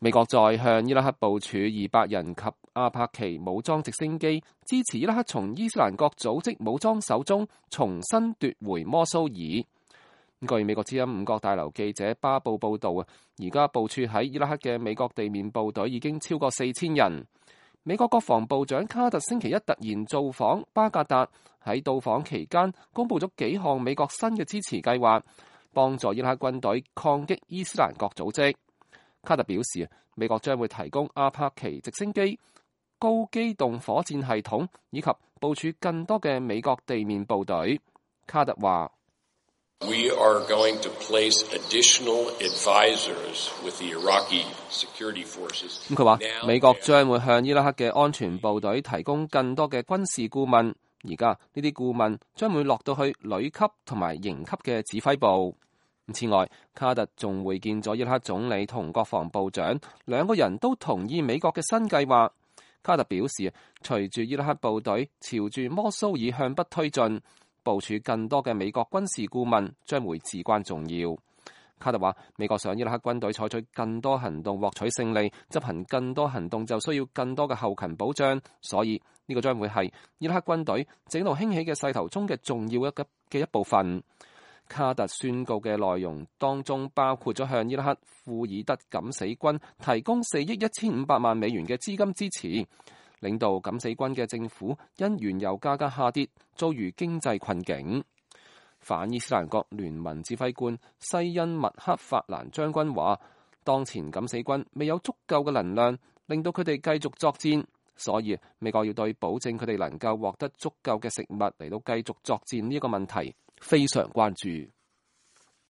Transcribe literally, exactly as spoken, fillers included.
美國再向伊拉克部署二百人及阿帕奇武裝直升機，支持伊拉克從伊斯蘭國組織武裝手中重新奪回摩蘇爾。據美國之音五角大樓記者巴布報道啊，而家部署喺伊拉克嘅美國地面部隊已經超過四千人。美國國防部長卡特星期一突然造訪巴格達，喺到訪期間公布咗幾項美國新嘅支持計劃，幫助伊拉克軍隊抗擊伊斯蘭國組織。卡特表示，美國將會提供阿帕奇直升機、高機動火箭系統以及部署更多嘅美國地面部隊。卡特話：We are going to place additional advisors with the Iraqi security forces。咁佢話美國將會向伊拉克嘅安全部隊提供更多嘅軍事顧問。而家呢啲顧問將會落到去旅級同埋營級嘅指揮部。此外，卡特仲會見咗伊拉克總理同國防部長，兩個人都同意美國嘅新計劃。卡特表示，隨住伊拉克部隊朝住摩蘇爾向北推進，部署更多嘅美國軍事顧問將會至關重要。卡特話，美國想伊拉克軍隊採取更多行動獲取勝利，執行更多行動就需要更多嘅後勤保障，所以呢個將會係伊拉克軍隊整路興起嘅勢頭中嘅重要一嘅嘅一部分。卡特宣告嘅內容當中包括咗向伊拉克庫爾德敢死軍提供四億一千五百萬美元嘅資金支持。領導敢死軍嘅政府因原油價格下跌遭遇經濟困境。反伊斯蘭國聯盟指揮官西恩麥克法蘭將軍話，當前敢死軍未有足夠嘅能量令到佢哋繼續作戰，所以美國要對保證佢哋能夠獲得足夠嘅食物嚟到繼續作戰呢一個問題非常關注。